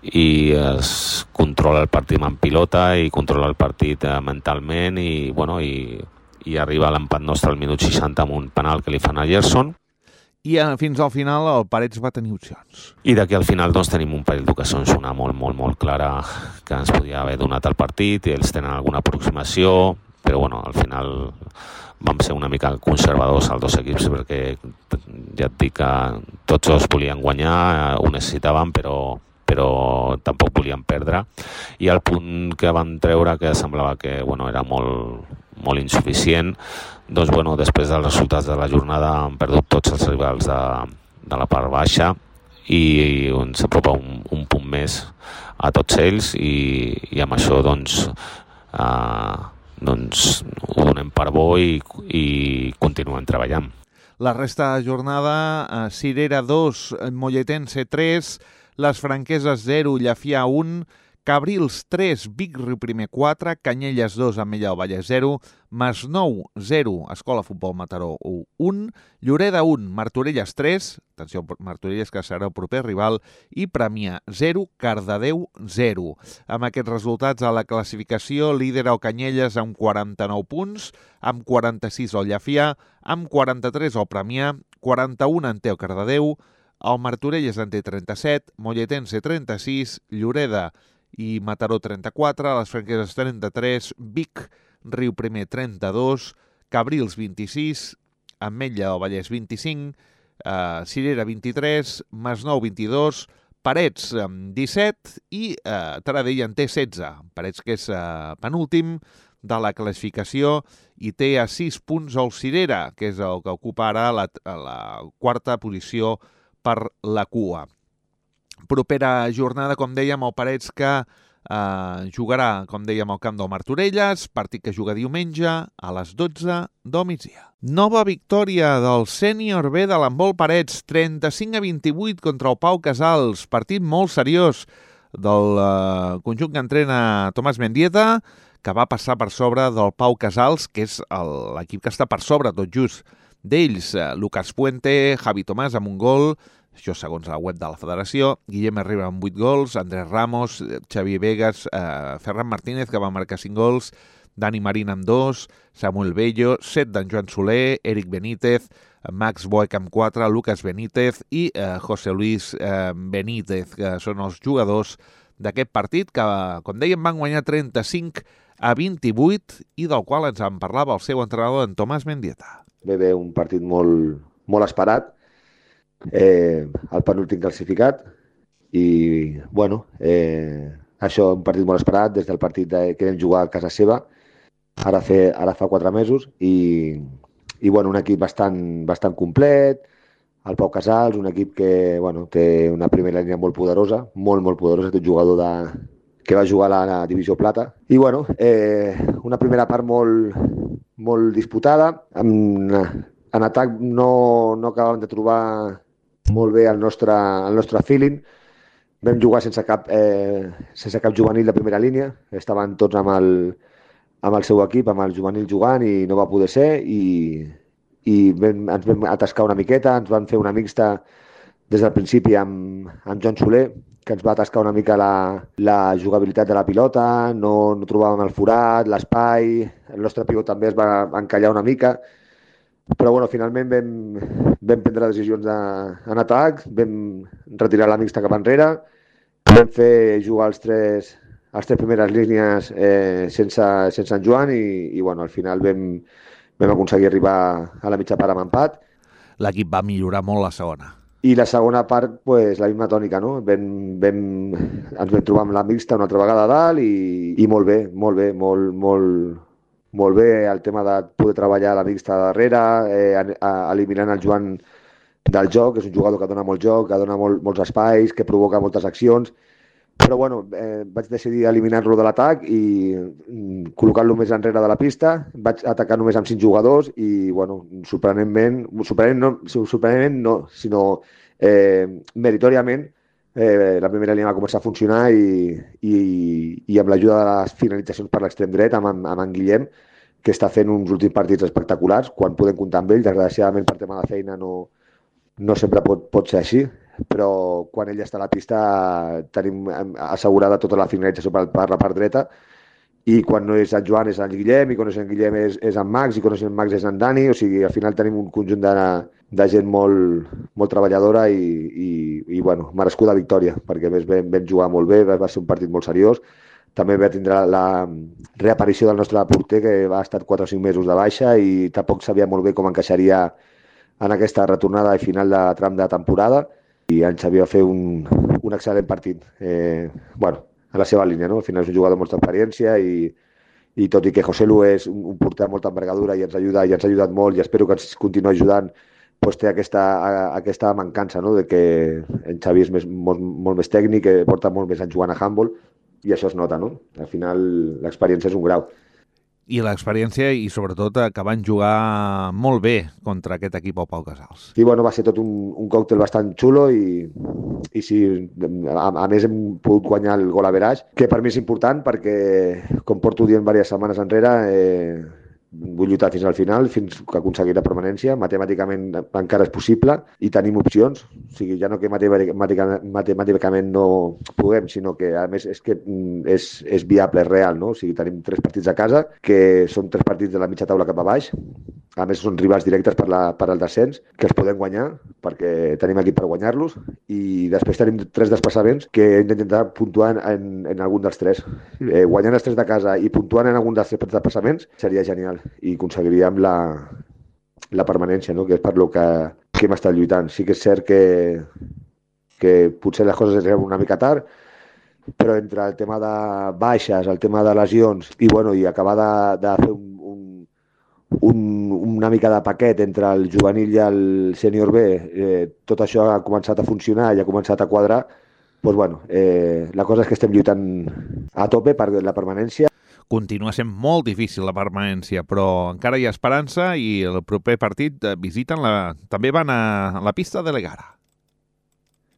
i es controla el partit amb pilota i controla el partit eh, mentalment i, bueno, i, i arriba a l'empat nostre al minut seixanta amb un penal que li fan a Gerson. I eh, fins al final el Parets va tenir opcions. I d'aquí al final doncs, tenim un parell d'ocasions, una molt, molt, molt clara que ens podia haver donat el partit i ells tenen alguna aproximació, però bueno, al final vam ser una mica conservadors els dos equips perquè ja et dic que tots dos volien guanyar, ho necessitaven, però però tampoc volien perdre, i el punt que van treure que semblava que bueno, era molt, molt insuficient, doncs bueno, després dels resultats de la jornada han perdut tots els rivals de, de la part baixa i, i ens apropa un, un punt més a tots ells i, i amb això doncs, eh, doncs ho donem per bo i, i continuem treballant. La resta de jornada, eh, Cirera dos, Molletense tres, Les Franqueses zero, Llafià un, Cabrils tres, Vic Riu Primer quatre, Canyelles dos, Ametlla del Vallès zero, Masnou zero, Escola Futbol Mataró un, Lloreda un, Martorelles tres, atenció, Martorelles que serà el proper rival, i Premià zero, Cardedeu zero. Amb aquests resultats a la classificació lidera el Canyelles amb quaranta-nou punts, amb quaranta-sis el Llafià, amb quaranta-tres el Premià, quaranta-un en té el Cardedeu, el Martorelles en té trenta-set, Molletense trenta-sis, Lloreda i Mataró trenta-quatre, les Franqueses trenta-tres, Vic, Riu Primer trenta-dos, Cabrils vint-i-sis, Ametlla del Vallès vint-i-cinc, eh, Cirera vint-i-tres, Masnou vint-i-dos, Parets disset i eh, Taradell en té setze. Parets que és eh, penúltim de la classificació i té a sis punts el Cirera, que és el que ocupa ara la, la quarta posició per la cua. Propera jornada, com dèiem, el Parets que eh, jugarà, com dèiem, al camp del Martorelles, partit que juga diumenge a les dotze del migdia. Nova victòria del sènior B de l'handbol Parets, trenta-cinc a vint-i-vuit contra el Pau Casals, partit molt seriós del eh, conjunt que entrena Tomàs Mendieta, que va passar per sobre del Pau Casals, que és l'equip que està per sobre, tot just, d'ells, Lucas Puente, Javi Tomàs amb un gol, això segons la web de la federació, Guillem Herrera amb vuit gols, Andrés Ramos, Xavi Vegas, eh, Ferran Martínez, que va marcar cinc gols, Dani Marín amb dos, Samuel Bello, set d'en Joan Soler, Eric Benítez, Max Boec amb quatre, Lucas Benítez i eh, José Luis eh, Benítez, que són els jugadors d'aquest partit, que, com dèiem, van guanyar trenta-cinc a vint-i-vuit i del qual ens en parlava el seu entrenador, en Tomàs Mendieta. Ve bé un partit molt, molt esperat, eh, el penúltim classificat i, bueno, eh, això un partit molt esperat des del partit de, que vam jugar a casa seva, ara, fer, ara fa quatre mesos i, i bueno, un equip bastant, bastant complet, el Pau Casals, un equip que bueno, té una primera línia molt poderosa, molt, molt poderosa, té un jugador de, que va jugar a la, la divisió plata. I bueno, eh, una primera part molt, molt disputada. En, en atac no, no acabàvem de trobar molt bé el nostre, el nostre feeling. Vam jugar sense cap, eh, sense cap juvenil de primera línia. Estaven tots amb el, amb el seu equip, amb el juvenil jugant i no va poder ser. I, i vam, ens vam atascar una miqueta, ens van fer una mixta des del principi amb, amb Joan Soler, que ens va atascar una mica la, la jugabilitat de la pilota, no, no trobàvem el forat, l'espai, el nostre pivot també es va encallar una mica, Però bueno, finalment vam, vam prendre decisions de, en atac, vam retirar la mixta cap enrere, vam fer jugar els tres, les tres primeres línies eh, sense, sense en Joan i, i bueno, al final vam, vam aconseguir arribar a la mitja part amb empat. L'equip va millorar molt la segona. I la segona part, pues, la misma tònica, no? Vam, vam, ens vam trobar amb la mixta una altra vegada a dalt i, i molt bé, molt bé, molt, molt, molt bé el tema de poder treballar la mixta darrere, eh, a, a, eliminant el Joan del joc, és un jugador que dona molt joc, que dona molt, molts espais, que provoca moltes accions, però bueno, eh, vaig decidir eliminar-lo de l'atac i mm, col·locar-lo més enrere de la pista, vaig atacar només amb cinc jugadors i bueno, sorprenentment, sorprenent no, sorprenentment no, sinó eh, meritòriament eh, la primera línia va començar a funcionar i, i, i amb l'ajuda de les finalitzacions per l'extrem dret amb, amb, amb en Guillem, que està fent uns últims partits espectaculars, quan podem comptar amb ell, desgraciadament per tema de feina no, no sempre pot, pot ser així, però quan ell està a la pista tenim assegurada tota la finalització per, per la part dreta i quan no és en Joan és en Guillem i quan no és en Guillem és, és en Max i quan no és en Max és en Dani, o sigui, al final tenim un conjunt de, de gent molt, molt treballadora i, i, i bueno, merescuda victòria, perquè més vam, vam jugar molt bé, va ser un partit molt seriós. També va tindre la reaparició del nostre porter, que va estar quatre o cinc mesos de baixa i tampoc sabia molt bé com encaixaria en aquesta retornada i final de tram de temporada. I en Xavi va fer un, un excel·lent partit, eh, bueno, a la seva línia, no? Al final és un jugador amb molta experiència i, i tot i que José Lu és un, un porter amb molta envergadura i ens ajuda i ens ha ajudat molt i espero que ens continuï ajudant, doncs té aquesta, aquesta mancança, no? De que en Xavi és més, molt, molt més tècnic, que porta molt més en jugant a handball i això es nota, no? Al final l'experiència és un grau. I l'experiència i sobretot que van jugar molt bé contra aquest equip al Pau Casals. Sí, bueno, va ser tot un, un còctel bastant xulo i, i sí, a, a més hem pogut guanyar el gol average, que per mi és important perquè, com porto dient diverses setmanes enrere, eh, vull lluitar fins al final, fins que aconseguir la permanència. Matemàticament encara és possible i tenim opcions. O sigui, ja no que matemàticament, matemàticament no puguem, sinó que a més és que és, és viable, és real, no? O sigui, tenim tres partits a casa, que són tres partits de la mitja taula cap a baix. A més, són rivals directes per, la, per al descens, que els podem guanyar, perquè tenim equip per guanyar-los. I després tenim tres desplaçaments que hem d'intentar puntuar en, en algun dels tres. Eh, guanyant els tres de casa i puntuant en algun dels tres desplaçaments seria genial i aconseguiríem la, la permanència, no? Que és per lo que, que hem estat lluitant. Sí que és cert que, que potser les coses es veuen una mica tard, però entre el tema de baixes, el tema de lesions i, bueno, i acabar de, de fer un, un, un, una mica de paquet entre el juvenil i el sènior B, eh, tot això ha començat a funcionar i ha començat a quadrar, doncs, bueno, eh, la cosa és que estem lluitant a tope per la permanència. Continua sent molt difícil la permanència, però encara hi ha esperança i el proper partit visiten la... també van a la pista de l'Egara.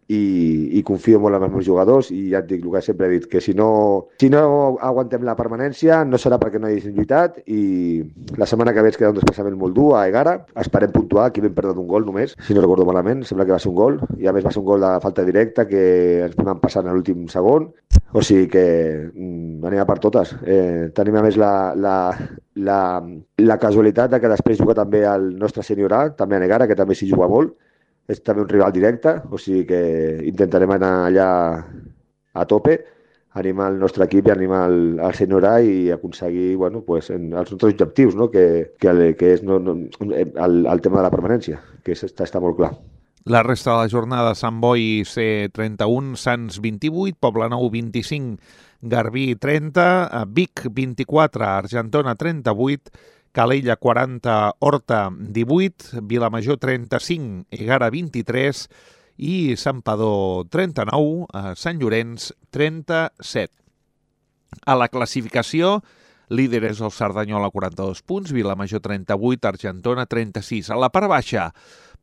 I, i confio molt en els meus jugadors i ja et dic el que sempre he dit, que si no, si no aguantem la permanència no serà perquè no hagin lluitat i la setmana que ve ens queda un desplaçament molt dur a Egara, esperem puntuar, aquí vam perdre un gol només, si no recordo malament, sembla que va ser un gol i a més va ser un gol de falta directa que ens vam passar en l'últim segon, o sigui que mm, anem a per totes. Eh, tenim a més la, la, la, la casualitat de que després juga també el nostre sènior A, també a Egara, que també s'hi juga molt. És també un rival directe, o sigui que intentarem anar allà a tope, animar el nostre equip i animar el, el sènior A i aconseguir, bueno, pues, en els nostres objectius, no? que, que, que és no, no, el, el tema de la permanència, que és, està, està molt clar. La resta de la jornada: Sant Boi C trenta-un, Sants vint-i-vuit, Poblenou vint-i-cinc, Garbí trenta, Vic vint-i-quatre, Argentona trenta-vuit, Calella quaranta, Horta divuit, Vilamajor trenta-cinc, Egara vint-i-tres i Santpedor trenta-nou, Sant Llorenç trenta-set. A la classificació, líder és el Cerdanyola, quaranta-dos punts, Vilamajor trenta-vuit, Argentona trenta-sis. A la part baixa,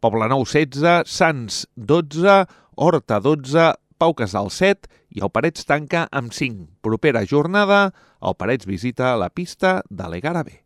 Poblenou setze, Sants dotze, Horta dotze, Pau Casals set i el Parets tanca amb cinc. Propera jornada, el Parets visita la pista de l'Egara B.